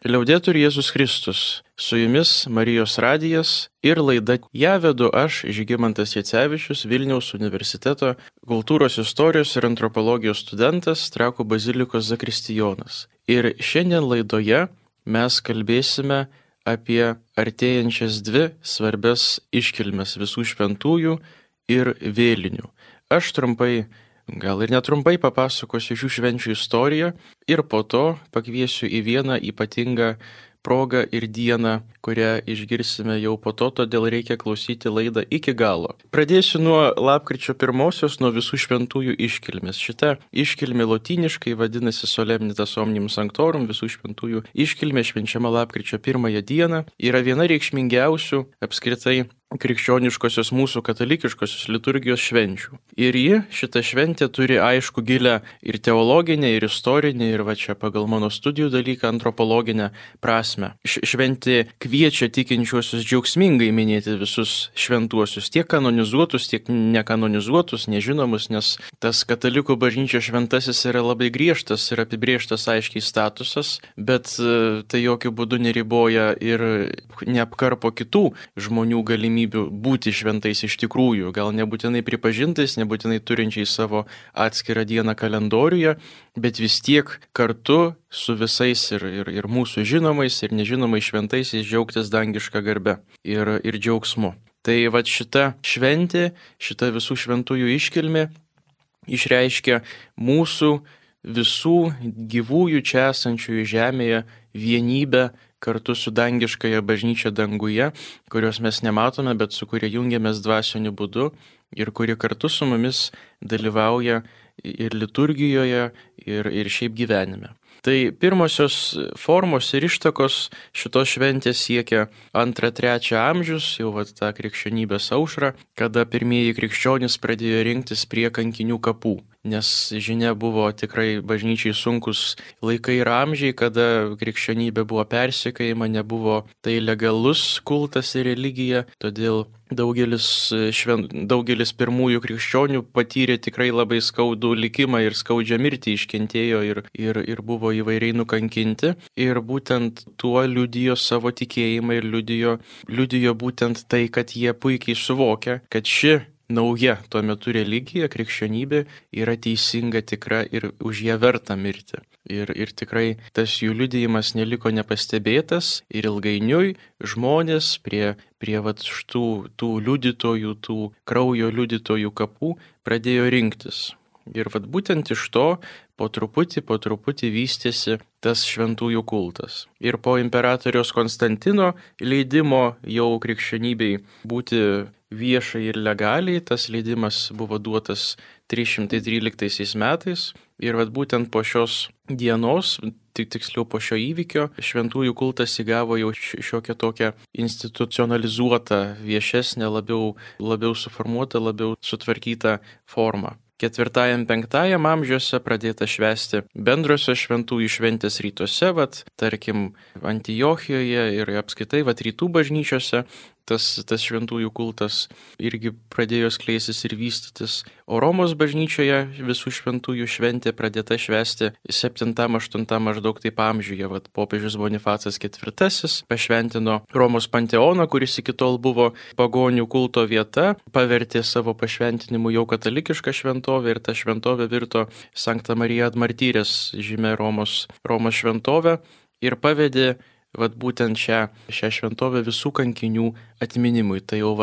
Liaudetur Jėzus Kristus, su jumis Marijos radijas ir laida. Ją vedu aš, Žygimantas Jacevičius, Vilniaus universiteto kultūros istorijos ir antropologijos studentas, Trakų bazilikos zakristijonas. Ir šiandien laidoje mes kalbėsime apie artėjančias dvi svarbias iškilmes visų šventųjų ir vėlinių. Aš trumpai, gal ir netrumpai papasakosiu šių švenčių istoriją ir po to pakviesiu į vieną ypatingą progą ir dieną, kurią išgirsime jau po to, todėl reikia klausyti laidą iki galo. Pradėsiu nuo lapkričio 1-osios, nuo visų šventųjų iškilmės. Šita iškilmė lotyniškai vadinasi Solemnitas Omnium Sanctorum, visų šventųjų iškilmė švenčiama lapkričio 1 dieną, yra viena reikšmingiausių apskritai krikščioniškosios mūsų katalikiškosios liturgijos švenčių. Ir šita šventė turi aišku gilę ir teologinę, ir istorinę, ir va čia pagal mano studijų dalyką antropologinę prasme. Šventė kviečia tikinčiuosius džiaugsmingai minėti visus šventuosius, tiek kanonizuotus, tiek nekanonizuotus, nežinomus, nes tas katalikų bažnyčios šventasis yra labai griežtas ir apibrėžtas aiškiai statusas, bet tai jokių būdų neriboja ir neapkarpo kitų žmonių galimybių būti šventais iš tikrųjų, gal nebūtinai pripažintais, nebūtinai turinčiais savo atskirą dieną kalendoriuje, bet vis tiek kartu su visais ir mūsų žinomais ir nežinomais šventaisiais džiaugtis dangišką garbę ir džiaugsmu. Tai va šita šventė, šita visų šventųjų iškilmė išreiškia mūsų visų gyvųjų čia esančiųjų žemėje vienybę kartu su dangiškąja bažnyčia danguje, kurios mes nematome, bet su kuria jungiamės dvasiniu būdu ir kuri kartu su mumis dalyvauja ir liturgijoje, ir šiaip gyvenime. Tai pirmosios formos ir ištakos šitos šventės siekia 2-3 amžius, jau tą krikščionybės aušrą, kada pirmieji krikščionys pradėjo rinktis prie kankinių kapų. Nes žinia buvo tikrai bažnyčiai sunkus laikai ir amžiai, kada krikščionybė buvo persekiojama, nebuvo tai legalus kultas ir religija, todėl daugelis pirmųjų krikščionių patyrė tikrai labai skaudų likimą ir skaudžią mirtį, iškentėjo ir buvo įvairiai nukankinti. Ir būtent tuo liudijo savo tikėjimą ir liudijo būtent tai, kad jie puikiai suvokia, kad ši nauja tuo metu religija, krikščionybė yra teisinga, tikra ir už ją verta mirti. Ir tikrai tas jų liudijimas neliko nepastebėtas ir ilgainiui žmonės prie tų liudytojų, tų kraujo liudytojų kapų pradėjo rinktis. Ir būtent iš to po truputį vystėsi tas šventųjų kultas. Ir po imperatoriaus Konstantino leidimo jau krikščionybei būti viešai ir legaliai, tas leidimas buvo duotas 313 metais. Ir būtent po šios dienos, tiksliau po šio įvykio, šventųjų kultas įgavo jau šiokią tokią institucionalizuotą, viešesnę, labiau suformuotą, labiau sutvarkytą formą. 4-5 amžiuose pradėta švęsti bendrosios šventųjų šventės rytuose, tarkim Antiochijoje ir apskritai rytų bažnyčiose. Tas šventųjų kultas irgi pradėjo skleistis ir vystytis. O Romos bažnyčioje visų šventųjų šventė pradėta švęsti 7-8 maždaug taip amžiuje. Popiežius Bonifacas IV pašventino Romos panteoną, kuris iki tol buvo pagonių kulto vieta, pavertė savo pašventinimu jau katalikišką šventovę ir ta šventovė virto Sankta Marija ad Martyrės žymė Romos šventovę ir pavedė būtent šią šventovę visų kankinių atminimui. Tai jau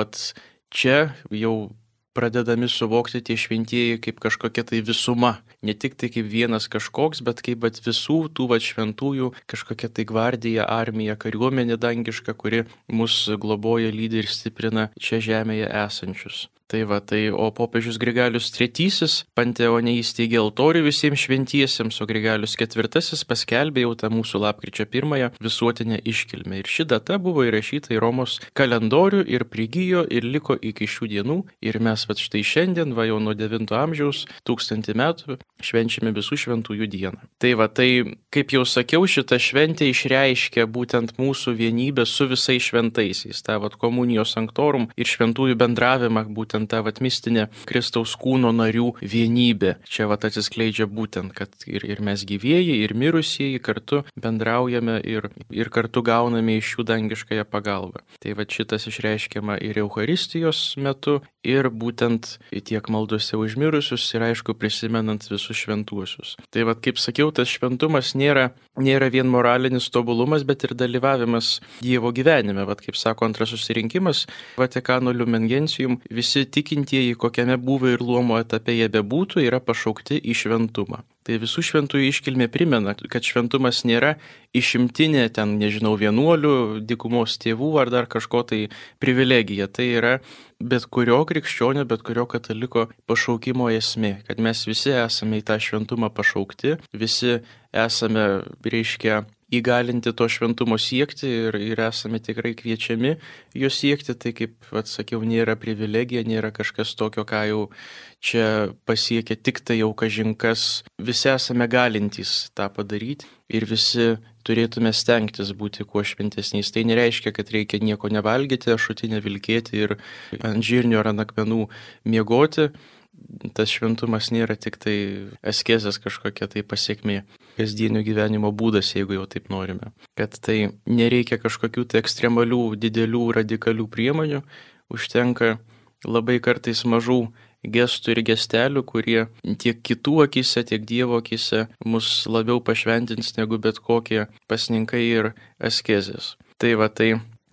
čia jau pradedami suvokti tie šventieji kaip kažkokia tai visuma. Ne tik tai kaip vienas kažkoks, bet kaip visų tų šventųjų kažkokia tai gvardija, armija, kariuomenė dangiška, kuri mus globoja, lydi ir stiprina čia žemėje esančius. O popiežius Grigalius III panteone įsteigė altorių visiems šventiesiems, o Grigalius IV paskelbė jau tą mūsų lapkričio 1 visuotinę iškilmę. Ir ši data buvo įrašyta į Romos kalendorių ir prigijo ir liko iki šių dienų. Ir mes štai šiandien, jau nuo 9 amžiaus, 1000 metų, švenčiame visų šventųjų dieną. Tai, kaip jau sakiau, šita šventė išreiškia būtent mūsų vienybę su visais šventaisiais. Ta komunijos sanctorum ir šventųjų bendravimą būtent būtent ta mistinė Kristaus kūno narių vienybė. Čia atsiskleidžia būtent, kad ir mes gyvieji, ir mirusieji kartu bendraujame ir kartu gauname iš jų dangiškąją pagalbą. Tai šitas išreiškiama ir Eucharistijos metu, ir būtent tiek maldose už mirusius, ir aišku prisimenant visus šventuosius. Tai kaip sakiau, tas šventumas nėra vien moralinis tobulumas, bet ir dalyvavimas Dievo gyvenime. Kaip sako antras susirinkimas Vatikano Lumen Gentium, visi tikintieji, kokiame buvo ir luomo etape jie bebūtų, yra pašaukti į šventumą. Tai visų šventųjų iškilmė primena, kad šventumas nėra išimtinė vienuolių, dykumos tėvų ar dar kažko privilegija. Tai yra bet kurio krikščionio, bet kurio kataliko pašaukimo esmė, kad mes visi esame į tą šventumą pašaukti, visi esame, įgalinti to šventumo siekti ir esame tikrai kviečiami jo siekti. Tai kaip sakiau, nėra privilegija, nėra kažkas tokio, ką jau čia pasiekia tik tai jau kažinkas. Visi esame galintys tą padaryti ir visi turėtume stengtis būti kuo šventesniais. Tai nereiškia, kad reikia nieko nevalgyti, ašutinę vilkėti ir ant žirnių ar ant akmenų miegoti. Tas šventumas nėra tik tai askezės kažkokia pasiekmė, kasdienio gyvenimo būdas, jeigu jau taip norime. Kad tai nereikia kažkokių ekstremalių, didelių, radikalių priemonių, užtenka labai kartais mažų gestų ir gestelių, kurie tiek kitų akise, tiek Dievo akise mus labiau pašventins negu bet kokie pasninkai ir askezės. Tai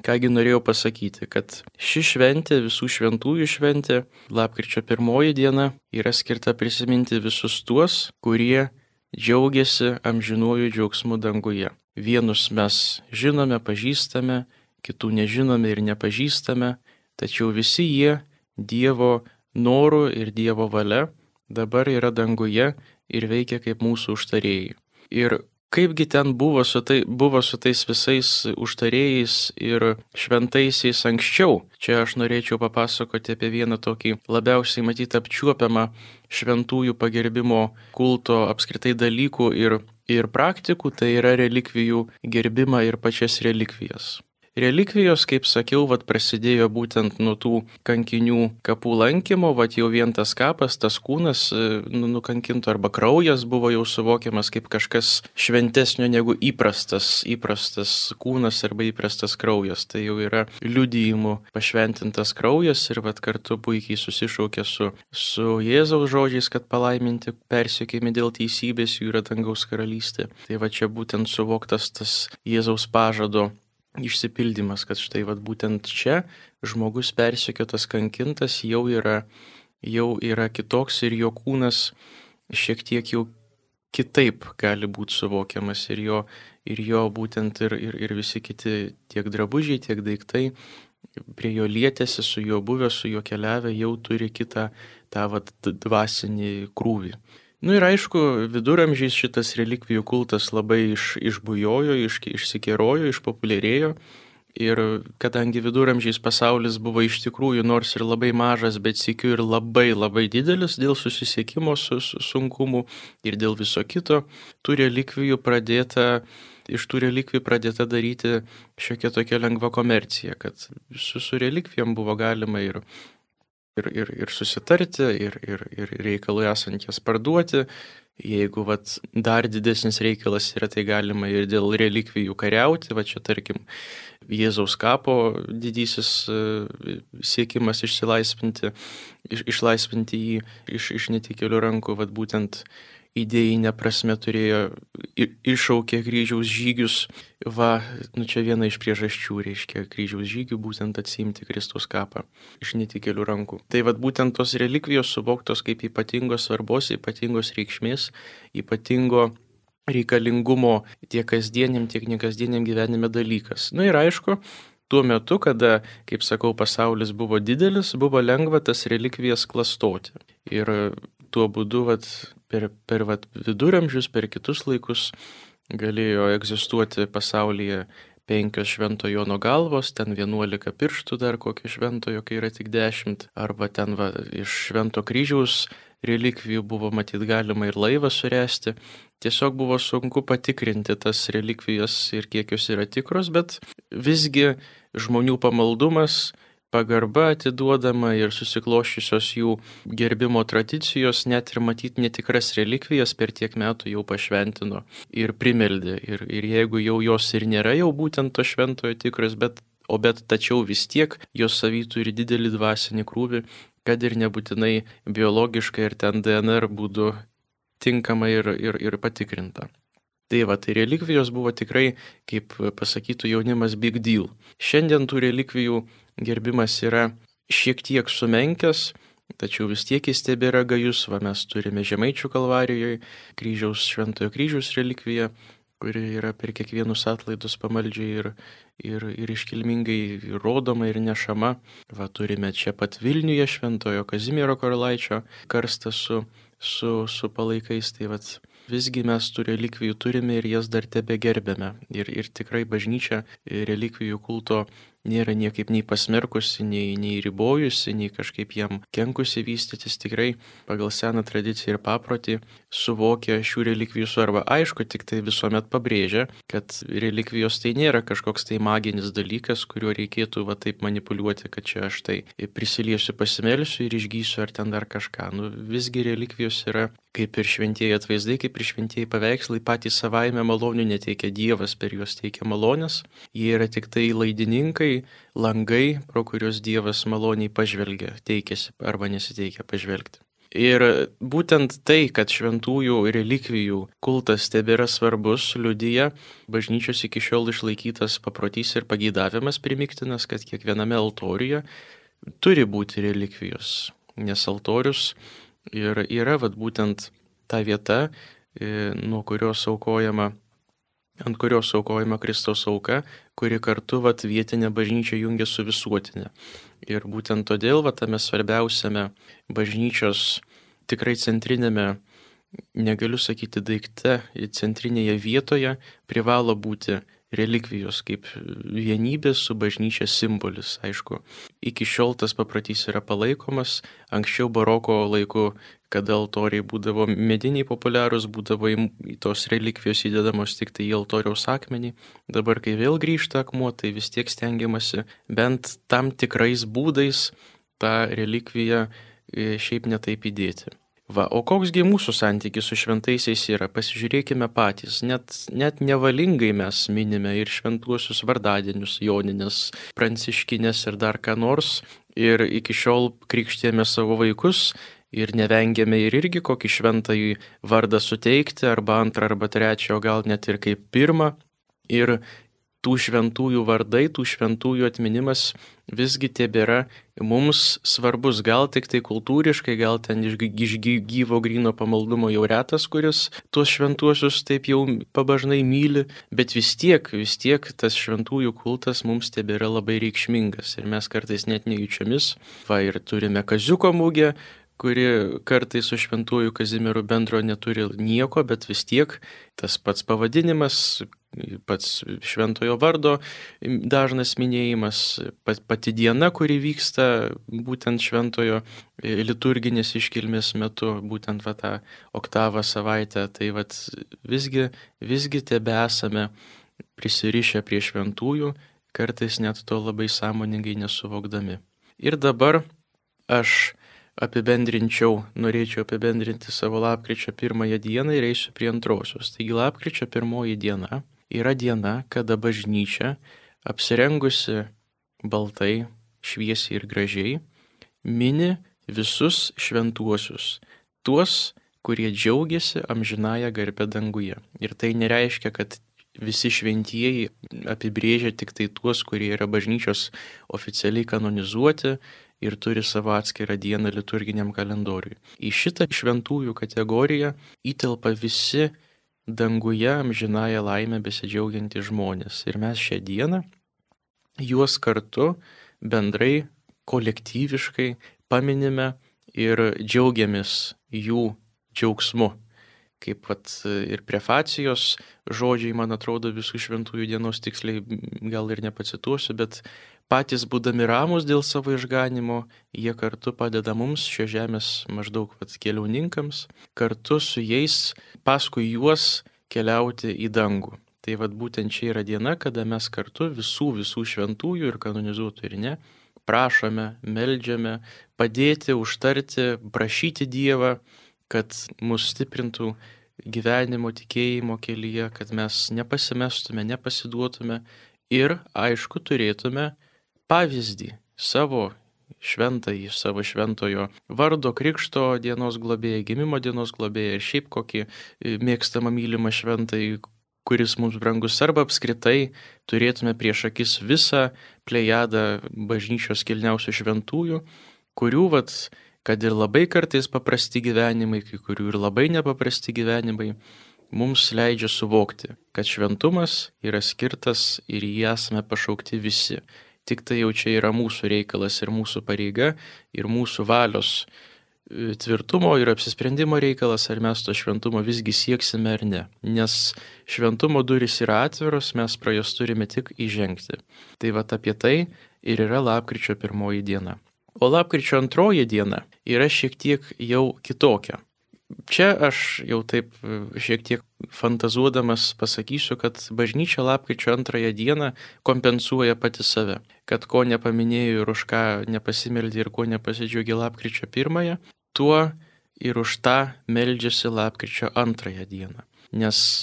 kągi norėjau pasakyti, kad ši šventė, visų šventųjų šventė, lapkričio 1 diena, yra skirta prisiminti visus tuos, kurie džiaugiasi amžinuoju džiaugsmu danguje. Vienus mes žinome, pažįstame, kitų nežinome ir nepažįstame, tačiau visi jie Dievo norų ir Dievo valia dabar yra danguje ir veikia kaip mūsų užtarėjai. Ir kaipgi ten buvo su tais visais užtarėjais ir šventaisiais anksčiau? Čia aš norėčiau papasakoti apie vieną tokį labiausiai matyti apčiuopiamą šventųjų pagerbimo kulto apskritai dalykų ir praktikų, tai yra relikvijų gerbimą ir pačias relikvijas. Relikvijos, kaip sakiau, prasidėjo būtent nuo tų kankinių kapų lankymo, jau vien tas kapas, tas kūnas nukankinto arba kraujas buvo jau suvokiamas kaip kažkas šventesnio negu įprastas kūnas arba įprastas kraujas. Tai jau yra liudijimų pašventintas kraujas ir kartu puikiai susišaukia su Jėzaus žodžiais, kad palaiminti persekiojami dėl teisybės, jų yra dangaus karalystė. Tai čia būtent suvoktas tas Jėzaus pažado išsipildymas, kad štai būtent čia žmogus persekiotas, kankintas jau yra kitoks ir jo kūnas šiek tiek jau kitaip gali būti suvokiamas ir jo būtent ir visi kiti tiek drabužiai, tiek daiktai prie jo lietėsi, su juo buvę, su juo keliavę, jau turi kitą tą dvasinį krūvį. Ir aišku, viduramžiais šitas relikvijų kultas labai išbujojo, išsikerojo, išpopuliarėjo. Ir kadangi viduramžiais pasaulis buvo iš tikrųjų nors ir labai mažas, bet sykiu ir labai labai didelis dėl susisiekimo su sunkumu ir dėl viso kito, iš tų relikvijų pradėta daryti šiokia tokia lengva komercija, kad su relikvijom buvo galima ir susitarti, ir reikalui esant jas parduoti. Jeigu dar didesnis reikalas yra, tai galima ir dėl relikvijų kariauti. Čia tarkim Jėzaus kapo didysis siekimas išlaisvinti jį iš netikėlių rankų, būtent idėjinė prasme iššaukė kryžiaus žygius. Čia viena iš priežasčių reiškia kryžiaus žygių, būtent atsiimti Kristaus kapą iš netikėlių rankų. Tai būtent tos relikvijos suvoktos kaip ypatingos svarbos, ypatingos reikšmės, ypatingo reikalingumo tiek kasdieniam, tiek nekasdieniam gyvenime dalykas. Ir aišku, tuo metu, kada, kaip sakau, pasaulis buvo didelis, buvo lengva tas relikvijas klastoti. Ir tuo būdu per viduramžius, per kitus laikus galėjo egzistuoti pasaulyje 5 Švento Jono galvos, ten 11 pirštų dar kokio šventojo, kai yra tik 10, arba ten iš Švento kryžiaus relikvijų buvo matyt galima ir laivą suresti. Tiesiog buvo sunku patikrinti tas relikvijas ir kiek jos yra tikros, bet visgi žmonių pamaldumas pagarba atiduodama ir susikloščiusios jų gerbimo tradicijos, net ir matyti netikras relikvijas per tiek metų jau pašventino ir primeldė. Ir jeigu jau jos ir nėra jau būtent to šventojo tikras, bet tačiau vis tiek jos savy turi didelį dvasinį krūvį, kad ir nebūtinai biologiškai ir ten DNR būdu tinkama ir patikrinta. Tai relikvijos buvo tikrai, kaip pasakytų jaunimas, big deal. Šiandien tų relikvijų gerbimas yra šiek tiek sumenkęs, tačiau vis tiek jis tebėra gajus. Mes turime Žemaičių Kalvarijoje Šventojo kryžiaus relikviją, kuri yra per kiekvienus atlaidus pamaldžiai ir iškilmingai rodoma ir nešama. Turime čia pat Vilniuje Šventojo Kazimiero Karalaičio karstą su palaikais. Tai visgi mes tų relikvijų turime ir jas dar tebegerbėme. Ir tikrai bažnyčia relikvijų kulto nėra niekaip nei pasmerkusi, nei ribojusi, nei kažkaip jam kenkusi vystytis. Tikrai pagal seną tradiciją ir paprotį suvokia šių relikvijų svarbą. Aišku, tik tai visuomet pabrėžia, kad relikvijos tai nėra kažkoks tai maginis dalykas, kuriuo reikėtų taip manipuliuoti, kad čia aš tai prisiliesiu, pasimelsiu ir išgysiu ar ten dar kažką. Visgi relikvijos yra kaip ir šventieji atvaizdai, kaip ir šventieji paveikslai, patys savaime malonių neteikia Dievas, per juos teikia malonės. Jie yra tik tai laidininkai, langai, pro kuriuos Dievas maloniai pažvelgia, teikėsi arba nesiteikia pažvelgti. Ir būtent tai, kad šventųjų relikvijų kultas tebėra svarbus, liudija bažnyčios iki šiol išlaikytas paprotys ir pageidavimas primiktinas, kad kiekviename altoriuje turi būti relikvijos, nes altorius ir yra būtent ta vieta, ant kurios aukojama Kristaus auka, kuri kartu vietinę bažnyčią jungia su visuotinė. Ir būtent todėl tame svarbiausiame bažnyčios tikrai centrinėme, negaliu sakyti daikte, centrinėje vietoje privalo būti relikvijos kaip vienybės su bažnyčia simbolis. Aišku, iki šiol tas paprotys yra palaikomas. Anksčiau baroko laiku, kada altoriai būdavo mediniai populiarūs, būdavo į tos relikvijos įdedamos tik tai į altoriaus akmenį. Dabar, kai vėl grįžta akmuo, tai vis tiek stengiamasi bent tam tikrais būdais tą relikviją šiaip netaip įdėti. O koksgi mūsų santykis su šventaisiais yra? Pasižiūrėkime patys. Net nevalingai mes minime ir šventuosius vardadienius, jonines, pranciškines ir dar ką nors. Ir iki šiol krikštėme savo vaikus ir nevengėme ir irgi kokį šventąjį vardą suteikti, arba antrą, arba trečią, o gal net ir kaip pirmą. Ir tų šventųjų vardai, tų šventųjų atminimas visgi tebėra mums svarbus. Gal tik tai kultūriškai, gal ten iš gyvo gryno pamaldumo jau retas, kuris tuos šventuosius taip jau pabažnai myli, bet vis tiek tas šventųjų kultas mums tebėra labai reikšmingas. Ir mes kartais net nejučiomis. Ir turime Kaziuko mugę, kuri kartais su šventuoju Kazimieru bendro neturi nieko, bet vis tiek tas pats pavadinimas, pats šventojo vardo dažnas minėjimas, pati diena, kuri vyksta būtent šventojo liturginės iškilmės metu, būtent tą oktavą savaitę, tai visgi tebesame prisirišę prie šventųjų, kartais net to labai sąmoningai nesuvokdami. Ir dabar aš norėčiau apibendrinti savo lapkričio 1 dieną ir eisiu prie antrosios. Taigi lapkričio 1 diena yra diena, kada bažnyčia, apsirengusi baltai, šviesiai ir gražiai, mini visus šventuosius, tuos, kurie džiaugiasi amžinąją garbę danguje. Ir tai nereiškia, kad visi šventieji apibrėžia tik tai tuos, kurie yra bažnyčios oficialiai kanonizuoti ir turi savo atskirą dieną liturginiam kalendoriui. Į šitą šventųjų kategoriją įtelpa visi danguje amžinąją laimę besidžiaugiantys žmonės. Ir mes šią dieną juos kartu bendrai, kolektyviškai paminime ir džiaugiamės jų džiaugsmu. Kaip ir prefacijos žodžiai, man atrodo, visų šventųjų dienos tiksliai gal ir nepacituosiu, bet patys būdami ramūs dėl savo išganimo, jie kartu padeda mums šios žemės maždaug keliauninkams, kartu su jais, paskui juos keliauti į dangų. Tai būtent čia yra diena, kada mes kartu visų šventųjų ir kanonizuotų ir ne, prašome, meldžiame, padėti, užtarti, prašyti Dievą, kad mus stiprintų gyvenimo tikėjimo kelyje, kad mes nepasimestume, nepasiduotume ir, aišku, turėtume pavyzdį savo šventąjį, savo šventojo vardo, krikšto dienos globėją, gimimo dienos globėją ir šiaip kokį mėgstamą mylimą šventąjį, kuris mums brangus, arba apskritai turėtume prieš akis visą plejadą bažnyčios kilniausių šventųjų, kurių, kad ir labai kartais paprasti gyvenimai, kai kurių ir labai nepaprasti gyvenimai, mums leidžia suvokti, kad šventumas yra skirtas ir jį esame pašaukti visi. Tik tai jau čia yra mūsų reikalas ir mūsų pareiga ir mūsų valios tvirtumo ir apsisprendimo reikalas, ar mes to šventumo visgi sieksime ar ne. Nes šventumo durys yra atviros, mes pro jas turime tik įžengti. Tai apie tai ir yra lapkričio 1 diena. O lapkričio 2 diena yra šiek tiek jau kitokia. Čia aš jau taip šiek tiek fantazuodamas pasakysiu, kad bažnyčia lapkričio 2 dieną kompensuoja pati save. Kad ko nepaminėjo ir už ką nepasimeldė ir ko nepasidžiaugė lapkričio 1, tuo ir už tą meldžiasi lapkričio 2 dieną. Nes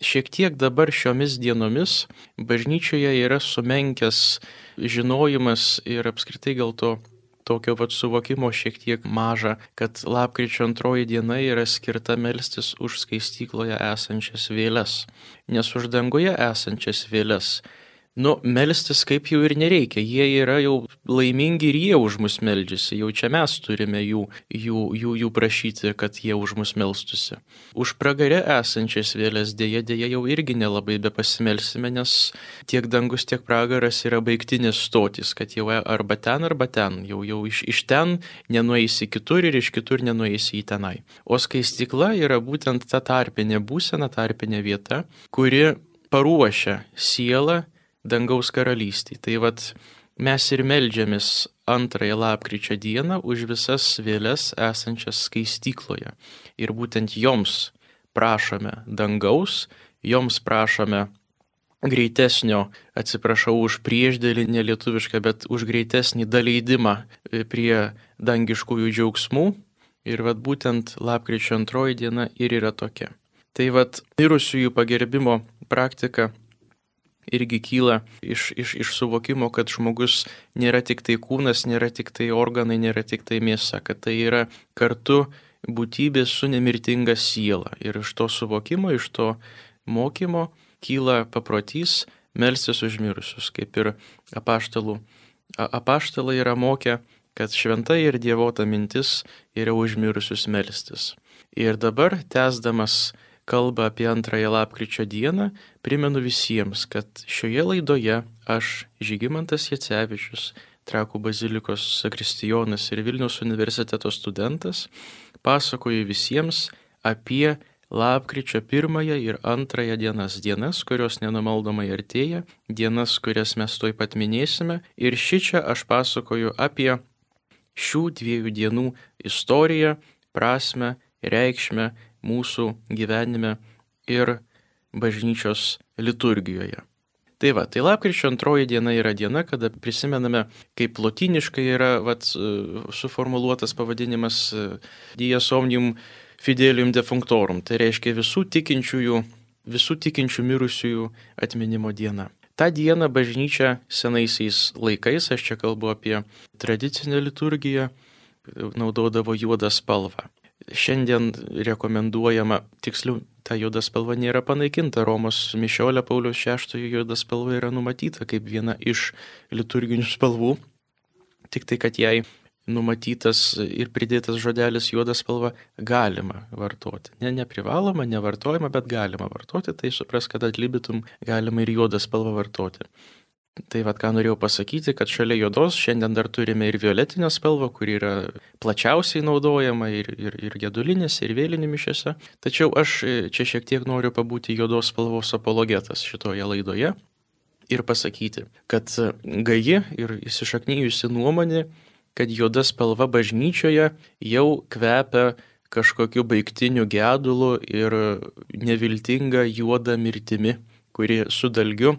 šiek tiek dabar šiomis dienomis bažnyčioje yra sumenkęs žinojimas ir apskritai gal to tokio suvokimo šiek tiek maža, kad lapkričio 2 diena yra skirta melstis už skaistykloje esančias vėles. Nes už danguje esančias vėles, melstis kaip jau ir nereikia, jie yra jau laimingi ir jie už mus meldžiasi, jau čia mes turime jų prašyti, kad jie už mus melstusi. Už pragare esančias vėles dėja jau irgi nelabai be pasimelsime, nes tiek dangus, tiek pragaras yra baigtinis stotis, kad jau arba ten, jau iš ten nenueisi kitur ir iš kitur nenueisi į tenai. O skaistykla yra būtent ta tarpinė būsena, tarpinė vieta, kuri paruošia sielą dangaus karalystį. Tai mes ir meldžiamės 2 lapkričio dieną už visas vėles esančias skaistykloje. Ir būtent joms prašome dangaus, joms prašome greitesnio, atsiprašau už priešdėlį nelietuvišką, bet už greitesnį daleidimą prie dangiškųjų džiaugsmų. Ir būtent lapkričio 2 diena ir yra tokia. Tai mirusiųjų pagerbimo praktika irgi kyla iš suvokimo, kad žmogus nėra tik tai kūnas, nėra tik tai organai, nėra tik tai mėsa, kad tai yra kartu būtybė su nemirtinga siela. Ir iš to suvokimo, iš to mokymo kyla paprotys melstis už mirusius, kaip ir apaštalai yra mokę, kad šventa ir dievota mintis yra už mirusius melstis. Ir dabar, tęsdamas kalbą apie 2 lapkričio dieną, primenu visiems, kad šioje laidoje aš, Žygimantas Jacevičius, Trakų bazilikos zakristijonas ir Vilniaus universiteto studentas, pasakoju visiems apie lapkričio 1 ir 2 dienas, kurios nenumaldomai artėja, dienas, kurias mes tuoj pat minėsime. Ir šičia aš pasakoju apie šių 2 dienų istoriją, prasmę, reikšmę mūsų gyvenime ir bažnyčios liturgijoje. Tai lapkričio 2 diena yra diena, kada prisimename, kaip lotyniškai yra suformuluotas pavadinimas Dies omnium fidelium defunctorum, tai reiškia visų tikinčių mirusiųjų atminimo diena. Ta diena bažnyčia senaisiais laikais, aš čia kalbu apie tradicinę liturgiją, naudodavo juodą spalvą. Šiandien rekomenduojama, tiksliau, ta juoda spalva nėra panaikinta, Romos mišiolė Pauliaus VI juoda spalva yra numatyta kaip viena iš liturginių spalvų, tik tai, kad jai numatytas ir pridėtas žodelis juoda spalva galima vartoti. Neprivaloma, nevartojama, bet galima vartoti, tai supras, kad atlibitum galima ir juodą spalvą vartoti. Tai ką norėjau pasakyti, kad šalia juodos šiandien dar turime ir violetinę spalvą, kuri yra plačiausiai naudojama ir gedulinėse, ir vėlinių mišiose. Tačiau aš čia šiek tiek noriu pabūti juodos spalvos apologetas šitoje laidoje ir pasakyti, kad gaji ir įsišaknyjusi nuomonė, kad juoda spalva bažnyčioje jau kvepia kažkokiu baigtiniu gedulu ir neviltinga juoda mirtimi, kuri su dalgiu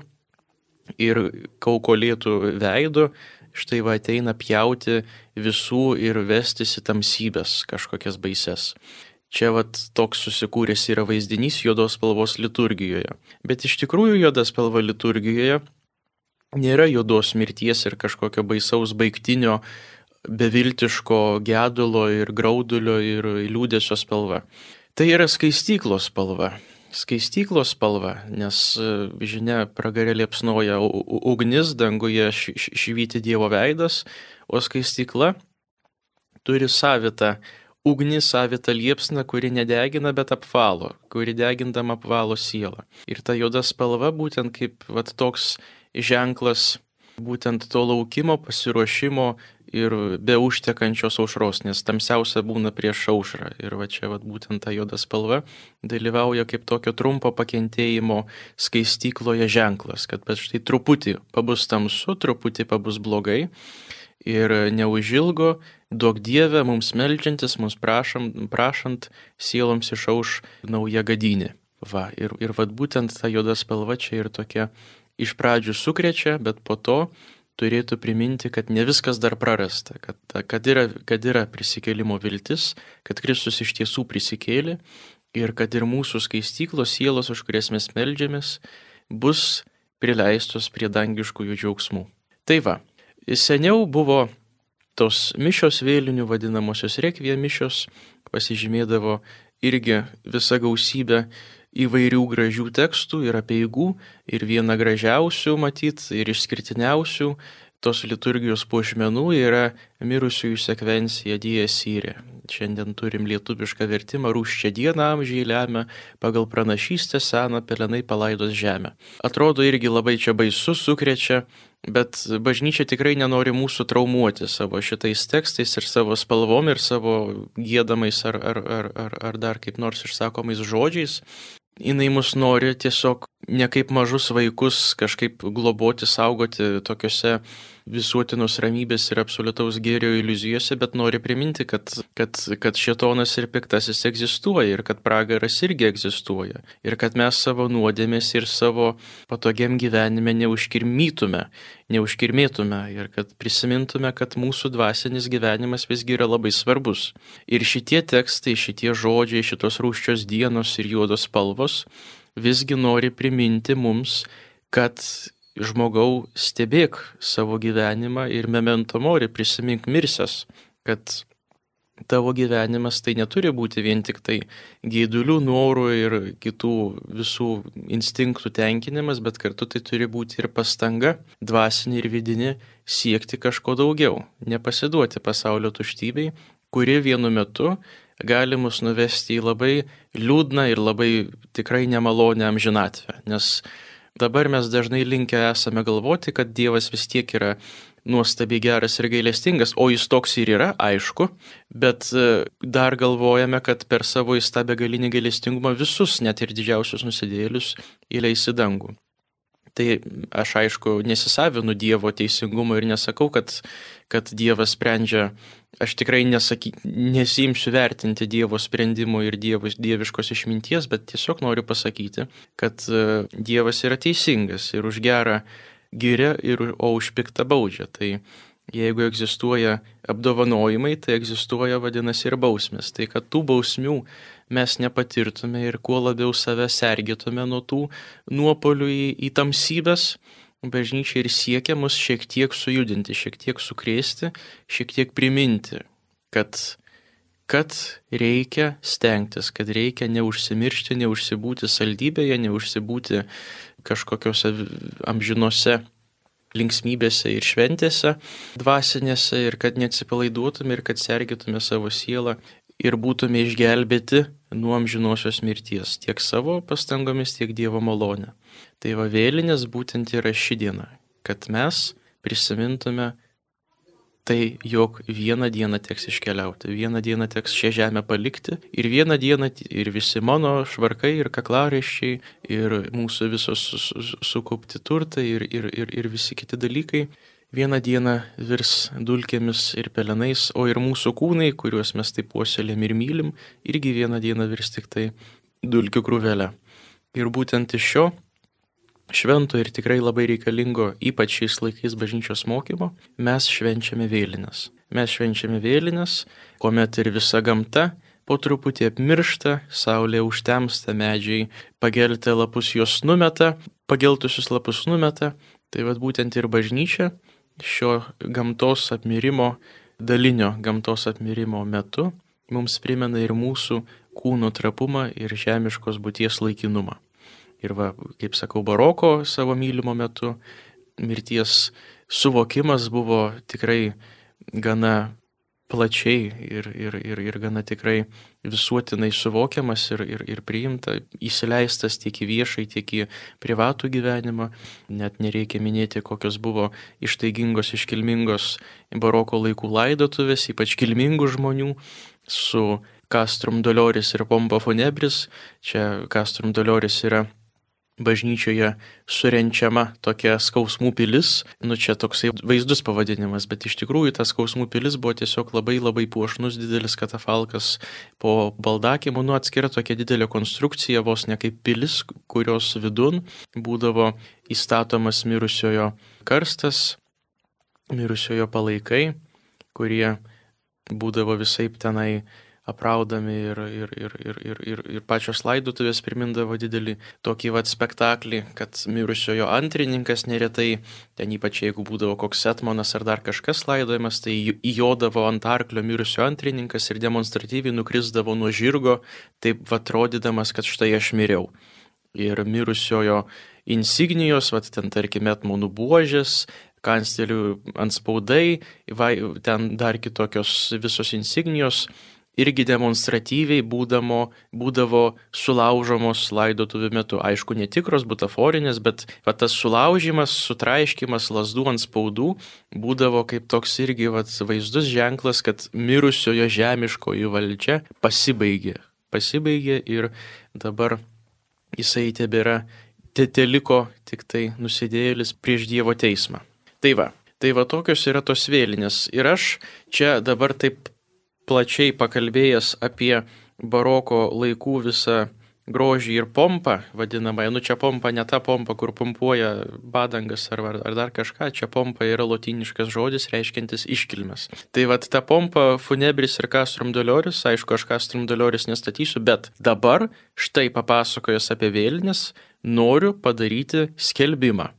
ir kaukolėtų veidu štai va ateina pjauti visų ir vestis į tamsybės kažkokias baises. Čia vat toks susikūręs yra vaizdinys juodos spalvos liturgijoje. Bet iš tikrųjų juoda spalva liturgijoje nėra juodos mirties ir kažkokio baisaus baigtinio, beviltiško gedulo ir graudulio ir liūdesio spalva. Tai yra skaistyklos spalva. Skaistyklos spalva, nes žinia pragarė liepsnoja ugnis, danguje švyti Dievo veidas, o skaistykla turi savitą ugnį, savitą liepsną, kuri nedegina, bet apvalo, kuri degindama apvalo sielą. Ir ta juoda spalva būtent kaip vat, toks ženklas būtent to laukimo, pasiruošimo ir be užtekančios aušros, nes tamsiausia būna prieš aušrą. Ir va čia vat, būtent ta juoda spalva dalyvauja kaip tokio trumpo pakentėjimo skaistykloje ženklas, kad štai truputį pabus tamsu, truputį pabus blogai. Ir neužilgo, duok Dieve, mums meldžiantis, mums prašant, sieloms išauš nauja gadynė. Va, ir vat būtent ta juoda spalva čia ir tokia iš pradžių sukrečia, bet po to turėtų priminti, kad ne viskas dar prarasta, kad yra prisikėlimo viltis, kad Kristus iš tiesų prisikėlė ir kad ir mūsų skaistyklos sielos, už kurias mes meldžiamės, bus prileistos prie dangiškųjų džiaugsmų. Tai va. Seniau buvo tos mišios vėlinių vadinamosios rekviem mišios, pasižymėdavo irgi visa gausybė įvairių gražių tekstų ir apeigų ir viena gražiausių matyt ir išskirtiniausių tos liturgijos puošmenų yra mirusiųjų sekvencija Dies Irae. Šiandien turim lietuvišką vertimą rūsčią dieną amžiai lemia, pagal pranašystę seną pelenai palaidos žemę. Atrodo irgi labai čia baisu, sukrečia, bet bažnyčia tikrai nenori mūsų traumuoti savo šitais tekstais ir savo spalvom ir savo giedamais ar dar kaip nors išsakomais žodžiais. Jinai mus nori tiesiog ne kaip mažus vaikus kažkaip globoti, saugoti tokiuose visuotinos ramybės ir absoliutaus gėrio iliuzijose, bet nori priminti, kad šėtonas ir piktasis egzistuoja ir kad pragaras irgi egzistuoja ir kad mes savo nuodėmės ir savo patogiam gyvenime neužkirmėtume ir kad prisimintume, kad mūsų dvasinis gyvenimas visgi yra labai svarbus. Ir šitie tekstai, šitie žodžiai, šitos rūsčios dienos ir juodos spalvos visgi nori priminti mums, kad žmogau stebėk savo gyvenimą ir memento mori, prisimink mirsias, kad tavo gyvenimas tai neturi būti vien tik tai geidulių, norų ir kitų visų instinktų tenkinimas, bet kartu tai turi būti ir pastanga, dvasinė ir vidinė, siekti kažko daugiau, nepasiduoti pasaulio tuštybei, kuri vienu metu gali mus nuvesti į labai liūdną ir labai tikrai nemalonę amžinatvę, nes dabar mes dažnai linkę esame galvoti, kad Dievas vis tiek yra nuostabiai geras ir gailestingas, o jis toks ir yra, aišku, bet dar galvojame, kad per savo įstabę galinį gailestingumą visus, net ir didžiausius nusidėjėlius, įleis į dangų. Tai aš aišku nesisavinu Dievo teisingumo ir nesakau, kad Dievas sprendžia, aš tikrai nesiimsiu vertinti Dievo sprendimų ir dieviškos išminties, bet tiesiog noriu pasakyti, kad Dievas yra teisingas ir už gerą giria, o už piktą baudžia. Tai jeigu egzistuoja apdovanojimai, tai egzistuoja vadinasi ir bausmės. Tai kad tų bausmių mes nepatirtume ir kuo labiau save sergėtume nuo tų nuopolių į tamsybės, bažnyčia ir siekia mus šiek tiek sujudinti, šiek tiek sukrėsti, šiek tiek priminti, kad reikia stengtis, kad reikia neužsimiršti, neužsibūti saldybėje, neužsibūti kažkokiose amžinose linksmybėse ir šventėse dvasinėse ir kad neatsipalaiduotume ir kad sergėtume savo sielą ir būtume išgelbėti nuo amžinosios mirties, tiek savo pastangomis, tiek Dievo malonę. Tai va vėlinės būtent yra ši diena, kad mes prisimintume tai, jog vieną dieną teks iškeliauti, vieną dieną teks šią žemę palikti ir vieną dieną ir visi mano švarkai ir kaklaraiščiai ir mūsų visos sukaupti turtai ir visi kiti dalykai vieną dieną virs dulkėmis ir pelenais, o ir mūsų kūnai, kuriuos mes taip puoselėm ir mylim, irgi vieną dieną virs tik tai dulkių krūvelę. Ir būtent iš šio švento ir tikrai labai reikalingo, ypač šiais laikais bažnyčios mokymo, mes švenčiame vėlines. Mes švenčiame vėlines, kuomet ir visa gamta po truputį apmiršta, saulė užtemsta, medžiai pageltę lapus jos numeta, pageltusius lapus numeta. Tai vad būtent ir bažnyčia šio gamtos apmirimo, dalinio gamtos apmirimo metu mums primena ir mūsų kūno trapumą ir žemiškos būties laikinumą. Ir va, kaip sakau, baroko savo mylimo metu mirties suvokimas buvo tikrai gana plačiai ir gana tikrai visuotinai suvokiamas ir priimta, įsileistas tiek į viešai, tiek į privatų gyvenimą. Net nereikia minėti, kokios buvo ištaigingos, iškilmingos baroko laikų laidotuvės, ypač kilmingų žmonių su Castrum Doloris ir Pompa Funebris. Čia Castrum Doloris yra bažnyčioje surenčiama tokia skausmų pilis. Čia toksai vaizdus pavadinimas, bet iš tikrųjų ta skausmų pilis buvo tiesiog labai puošnus didelis katafalkas po baldakimu, atskira tokia didelė konstrukcija, vos ne kaip pilis, kurios vidun būdavo įstatomas mirusiojo karstas, mirusiojo palaikai, kurie būdavo visaip tenai apraudami ir pačios laidotuvės primindavo didelį tokį spektaklį, kad mirusiojo antrininkas neretai, ten ypač jeigu būdavo koks etmonas ar dar kažkas laidojamas, tai įjodavo ant arklio mirusio antrininkas ir demonstratyviai nukrisdavo nuo žirgo, taip atrodydamas, kad štai aš miriau. Ir mirusiojo insignijos, ten tarkime etmonų buožės, kanclerių antspaudai, ten dar kitokios visos insignijos, irgi demonstratyviai būdavo sulaužomos laidotuvių metu. Aišku, netikros, butaforinės, bet tas sulaužimas, sutraiškimas lazdų ant spaudų būdavo kaip toks irgi vaizdus ženklas, kad mirusiojo žemiškoji valdžia pasibaigė ir dabar jisai tebėra, teliko tik tai nusidėjėlis prieš Dievo teismą. Tai va tokios yra tos vėlinės. Ir aš čia dabar taip plačiai pakalbėjęs apie baroko laikų visą grožį ir pompą, vadinamąją. Čia pompa ne ta pompa, kur pumpuoja badangas ar dar kažką. Čia pompa yra lotyniškas žodis, reiškiantis iškilmes. Tai ta pompa Funebris ir Castrum Doloris, aišku, aš Castrum Doloris nestatysiu, bet dabar štai papasakojęs apie vėlines, noriu padaryti skelbimą.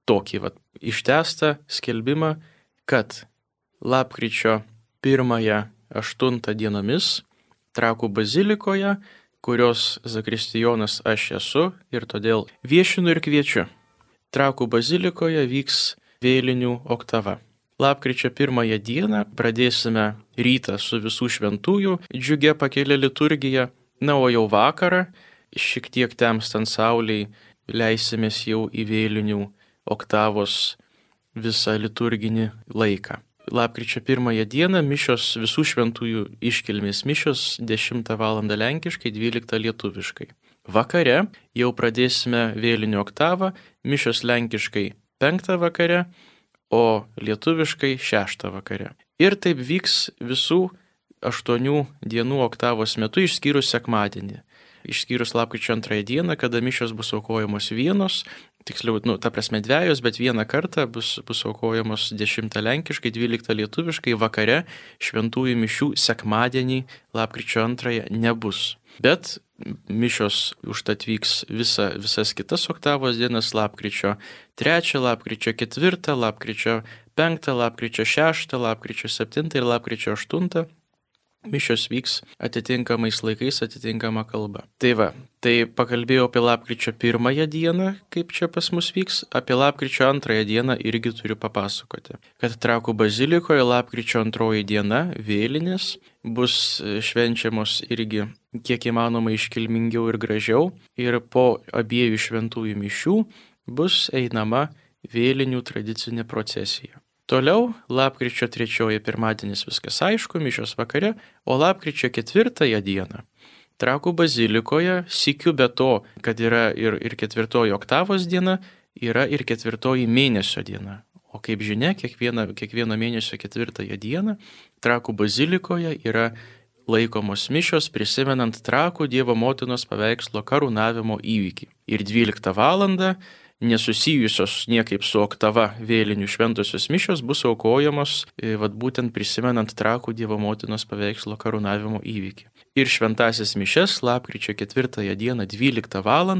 Tokį ištęstą skelbimą, kad lapkričio 1-8 dienomis Trakų bazilikoje, kurios zakristijonas aš esu ir todėl viešinu ir kviečiu. Trakų bazilikoje vyks vėlinių oktava. Lapkričio 1 dieną pradėsime rytą su visų šventųjų džiugia pakelia liturgija, o jau vakarą, šiek tiek temstant saulei, leisimės jau į vėlinių oktavos visą liturginį laiką. Lapkričio 1 dieną mišios visų šventųjų iškilmės mišios 10 val. Lenkiškai, 12 lietuviškai. Vakare jau pradėsime vėlinių oktavą, mišios lenkiškai 5 vakare, o lietuviškai 6 vakare. Ir taip vyks visų 8 dienų oktavos metu, išskyrus sekmadienį. Išskyrus lapkričio 2 dieną, kada mišios bus aukojamos vienos, tiksliau, ta prasme dvejos, bet vieną kartą bus aukojamos 10 lenkiškai, 12 lietuviškai, vakare šventųjų mišių sekmadienį lapkričio 2 nebus. Bet mišios užtat vyks visas kitas oktavos dienas, lapkričio 3, lapkričio 4, lapkričio 5, lapkričio 6, lapkričio 7 ir lapkričio 8. Mišios vyks atitinkamais laikais, atitinkama kalba. Tai pakalbėjau apie lapkričio 1 dieną, kaip čia pas mus vyks, apie lapkričio 2 dieną irgi turiu papasakoti. Kad Trakų bazilikoje lapkričio 2 diena vėlinės bus švenčiamos irgi kiek įmanoma iškilmingiau ir gražiau, ir po abiejų šventųjų mišių bus einama vėlinių tradicinė procesija. Toliau, lapkričio 3 pirmadienis viskas aišku, mišios vakare, o lapkričio 4 dieną Trakų bazilikoje, sykiu be to, kad yra ir 4 oktavos diena, yra ir 4 mėnesio diena. O kaip žinia, kiekvieno mėnesio 4 dieną Trakų bazilikoje yra laikomos mišios prisimenant Trakų Dievo motinos paveikslo karūnavimo įvykį. Ir 12 val. nesusijusios niekaip su oktava vėlinių šventosios mišios bus aukojamos būtent prisimenant Trakų Dievo motinos paveikslo karūnavimo įvykį. Ir šventasis mišias lapkričio 4 dieną 12 val.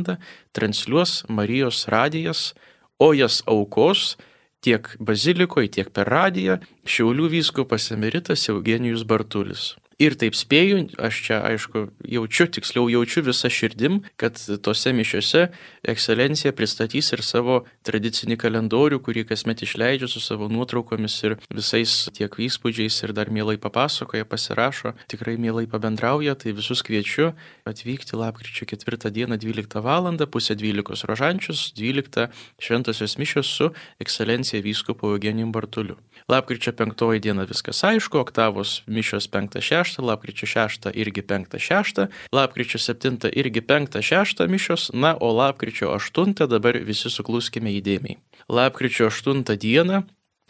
Transliuos Marijos radijas, o jas aukos tiek bazilikoje, tiek per radiją Šiaulių vyskupas emeritas Eugenijus Bartulis. Ir taip spėju, aš čia aišku jaučiu visą širdim, kad tose mišiose ekscelencija pristatys ir savo tradicinį kalendorių, kurį kasmet išleidžia su savo nuotraukomis ir visais tiek įspūdžiais ir dar mielai papasakoja, pasirašo, tikrai mielai pabendrauja, tai visus kviečiu atvykti lapkričio 4 dieną 12 val. Pusę 12 rožančius, 12 šventosios mišios su ekscelencija vyskupu Eugenijum Bartuliu. Lapkričio 5 diena viskas aišku, oktavos mišios 5-6, lapkričio 6 irgi 5-6, lapkričio 7 irgi 5-6 mišios, na, o lapkričio 8 dabar visi sukluskime įdėmiai. Lapkričio 8 dieną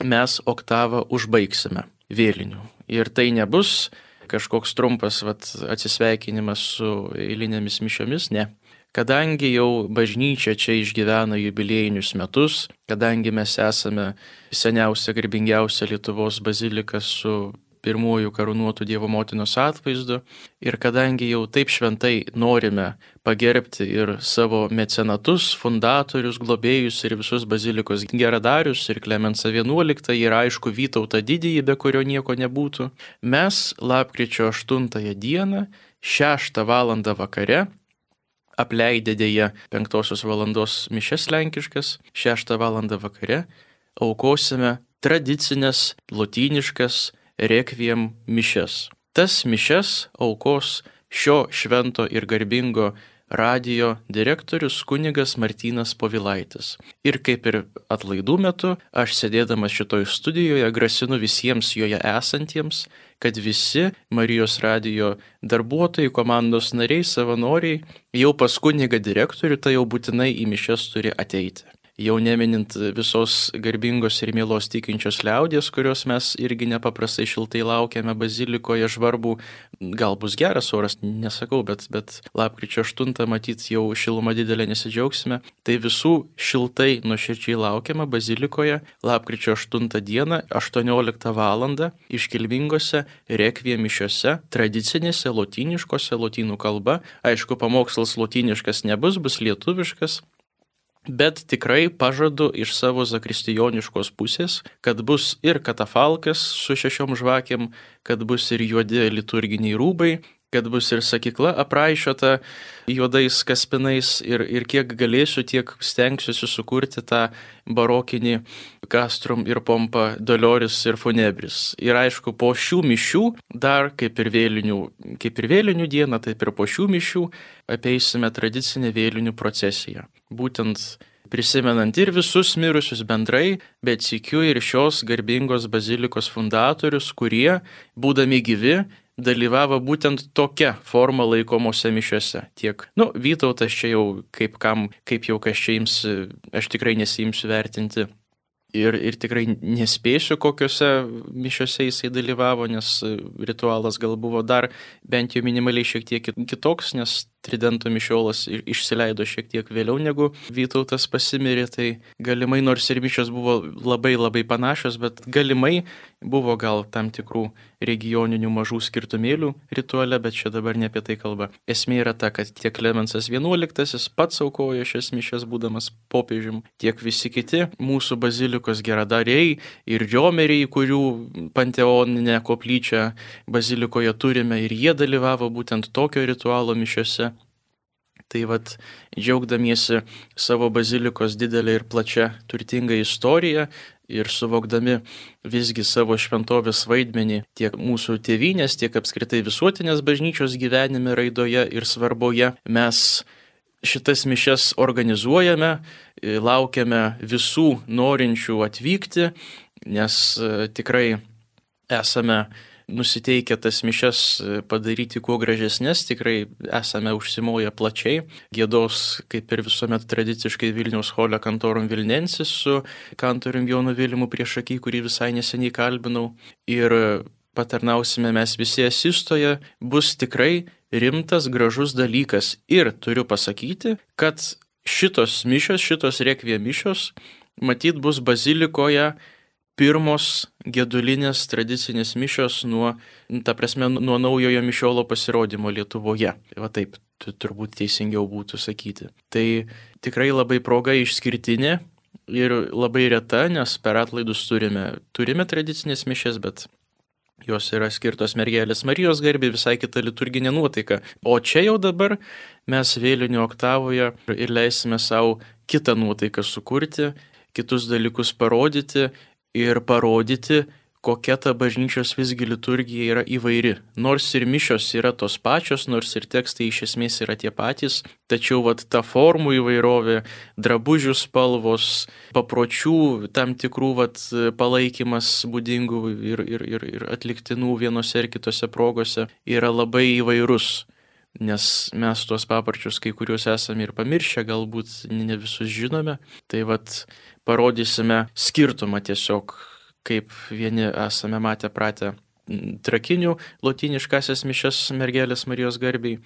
mes oktavą užbaigsime vėlinių. Ir tai nebus kažkoks trumpas atsisveikinimas su eilinėmis mišiomis, ne. Kadangi jau bažnyčia čia išgyvena jubiliejinius metus, kadangi mes esame seniausia, garbingiausia Lietuvos bazilika su pirmųjų karūnuotų Dievo motinos atvaizdu ir kadangi jau taip šventai norime pagerbti ir savo mecenatus, fundatorius, globėjus ir visus bazilikos geradarius ir Klemensą XI ir aišku Vytautą Didįjį, be kurio nieko nebūtų, mes lapkričio 8 dieną 6 val. Vakare apleidę dėja 5 valandos mišias lenkiškas, 6 val. Vakare aukosime tradicinės lotyniškas rekviem mišias. Tas mišias aukos šio švento ir garbingo radijo direktorius kunigas Martynas Povilaitis. Ir kaip ir atlaidų metu, aš sėdėdamas šitoj studijoje grasinu visiems joje esantiems, kad visi Marijos radijo darbuotojai, komandos nariai, savanoriai jau pas kunigą direktorių, tai jau būtinai į mišias turi ateiti. Jau neminint visos garbingos ir mielos tikinčios liaudies, kurios mes irgi nepaprastai šiltai laukiame bazilikoje žvarbų, gal bus geras oras, nesakau, bet lapkričio 8 matyt jau šiluma didelė nesidžiaugsime, tai visų šiltai nuoširdžiai laukiame bazilikoje lapkričio 8 dieną 18 val. Iškilmingose rekviem mišiose, tradicinėse lotyniškose, lotynų kalba, aišku, pamokslas lotyniškas nebus, bus lietuviškas, bet tikrai pažadu iš savo zakristijoniškos pusės, kad bus ir katafalkas su 6 žvakėm, kad bus ir juodi liturginiai rūbai, kad bus ir sakykla apraišota juodais kaspinais ir kiek galėsiu, tiek stengsiuosi sukurti tą barokinį castrum ir pompa dolioris ir funebris. Ir aišku, po šių mišių, dar kaip ir vėlinių dieną, taip ir po šių mišių apeisime tradicinę vėlinių procesiją. Būtent prisimenant ir visus mirusius bendrai, bet sykiu ir šios garbingos bazilikos fundatorius, kurie, būdami gyvi, dalyvavo būtent tokia forma laikomose mišiose. Tiek, Vytautas čia jau kaip jau kas čia ims, aš tikrai nesiimsiu vertinti. Ir tikrai nespėsiu, kokiuose mišiose jisai dalyvavo, nes ritualas gal buvo dar bent jau minimaliai šiek tiek kitoks, nes tridento mišiolas išsileido šiek tiek vėliau negu Vytautas pasimirė, tai galimai, nors ir mišios buvo labai labai panašios, bet galimai buvo gal tam tikrų regioninių mažų skirtumėlių rituale, bet čia dabar ne apie tai kalba. Esmė yra ta, kad tiek Klemensas XI pats aukojo šias mišias būdamas popiežium, tiek visi kiti mūsų bazilikos geradariai ir riomeriai, kurių panteoninę koplyčią bazilikoje turime, ir jie dalyvavo būtent tokio ritualo mišiose. Tai džiaugdamiesi savo bazilikos didelę ir plačią turtingą istoriją ir suvokdami visgi savo šventovės vaidmenį tiek mūsų tėvynės, tiek apskritai visuotinės bažnyčios gyvenime, raidoje ir svarboje, mes šitas mišias organizuojame, laukiame visų norinčių atvykti, nes tikrai esame nusiteikę tas mišias padaryti kuo gražesnės, tikrai esame užsimoję plačiai. Giedos, kaip ir visuomet tradiciškai, Vilniaus chole Cantorum Vilnensis su kantorium Jonu Vilimu priešaky, kurį visai neseniai kalbinau. Ir patarnausime mes visi asistoje, bus tikrai rimtas, gražus dalykas. Ir turiu pasakyti, kad šitos mišios, šitos rekviem mišios, matyt, bus bazilikoje pirmos gedulinės tradicinės mišios nuo naujojo mišiolo pasirodymo Lietuvoje. Va taip, turbūt teisingiau būtų sakyti. Tai tikrai labai proga išskirtinė ir labai reta, nes per atlaidus turime tradicinės mišias, bet jos yra skirtos Mergelės Marijos garbei, visai kita liturginė nuotaika. O čia jau dabar mes vėlinių oktavoje ir leisime savo kitą nuotaiką sukurti, kitus dalykus parodyti ir parodyti, kokia ta bažnyčios visgi liturgija yra įvairi. Nors ir mišios yra tos pačios, nors ir tekstai iš esmės yra tie patys, tačiau ta formų įvairovė, drabužių spalvos, papročių tam tikrų palaikymas būdingų ir atliktinų vienose ir kitose progose yra labai įvairus. Nes mes tuos paparčius kai kuriuos esame ir pamiršę, galbūt ne visus žinome. Tai parodysime skirtumą tiesiog, kaip vieni esame matę pratę trakinių lotyniškasias mišias Mergelės Marijos garbei.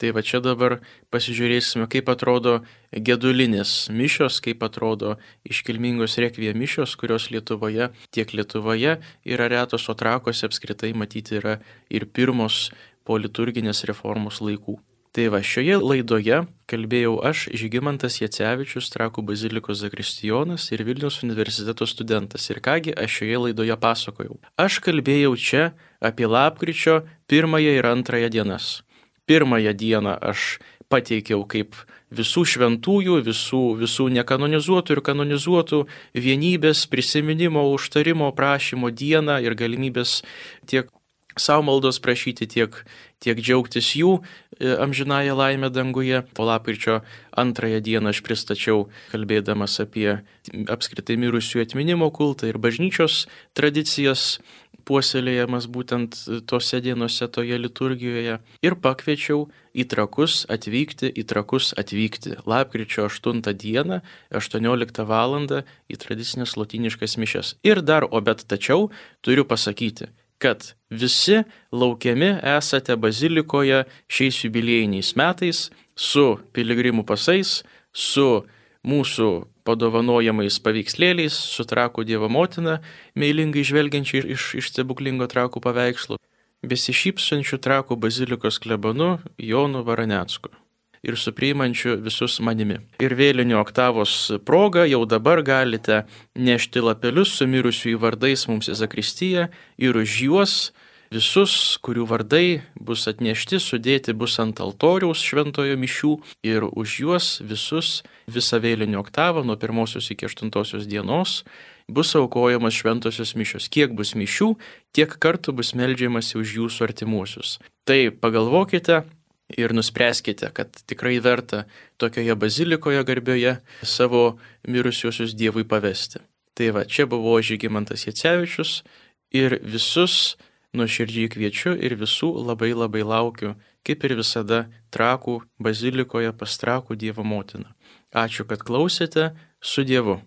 Tai čia dabar pasižiūrėsime, kaip atrodo gedulinės mišios, kaip atrodo iškilmingos rekviem mišios, kurios tiek Lietuvoje yra retos, o Trakuose apskritai matyti yra ir pirmos po liturginės reformos laikų. Tai šioje laidoje kalbėjau aš, Žygimantas Jacevičius, Trakų bazilikos zakristijonas ir Vilniaus universiteto studentas. Ir kągi aš šioje laidoje pasakojau. Aš kalbėjau čia apie lapkričio 1 ir 2 dienas. 1 dieną aš pateikiau kaip visų šventųjų, visų nekanonizuotų ir kanonizuotų vienybės, prisiminimo, užtarimo, prašymo dieną ir galimybės tiek savo maldos prašyti, tiek džiaugtis jų amžinąją laimę danguje. Po lapkričio 2 dieną aš pristačiau, kalbėdamas apie apskritai mirusiųjų atminimo kultą ir bažnyčios tradicijas, puoselėjamas būtent tose dienose, toje liturgijoje. Ir pakviečiau į Trakus atvykti lapkričio 8 dieną, 18 val. Į tradicinės lotyniškas mišias. Ir tačiau turiu pasakyti, kad visi laukiami esate bazilikoje šiais jubiliejiniais metais su piligrimų pasais, su mūsų padovanojamais paveikslėliais, su Trakų Dievo motina, meilingai žvelgiančiai iš stebuklingo Trakų paveikslo, besišypsančių Trakų bazilikos klebonu Jonu Varanecku ir su priimančiu visus manimi. Ir vėlinių oktavos proga jau dabar galite nešti lapelius su mirusiųjų vardais mums į zakristiją ir už juos visus, kurių vardai bus atnešti, sudėti bus ant altoriaus šventojo mišių ir už juos visus visą vėlinių oktavą nuo 1 iki 8 dienos bus aukojamas šventosios mišios. Kiek bus mišių, tiek kartų bus meldžiamasi už jūsų artimuosius. Tai pagalvokite ir nuspręskite, kad tikrai verta tokioje bazilikoje garbioje savo mirusiuosius Dievui pavesti. Tai čia buvo Žygimantas Jacevičius ir visus nuoširdžiai kviečiu ir visų labai labai laukiu, kaip ir visada Trakų bazilikoje pas Trakų Dievo motiną. Ačiū, kad klausėte, su Dievu.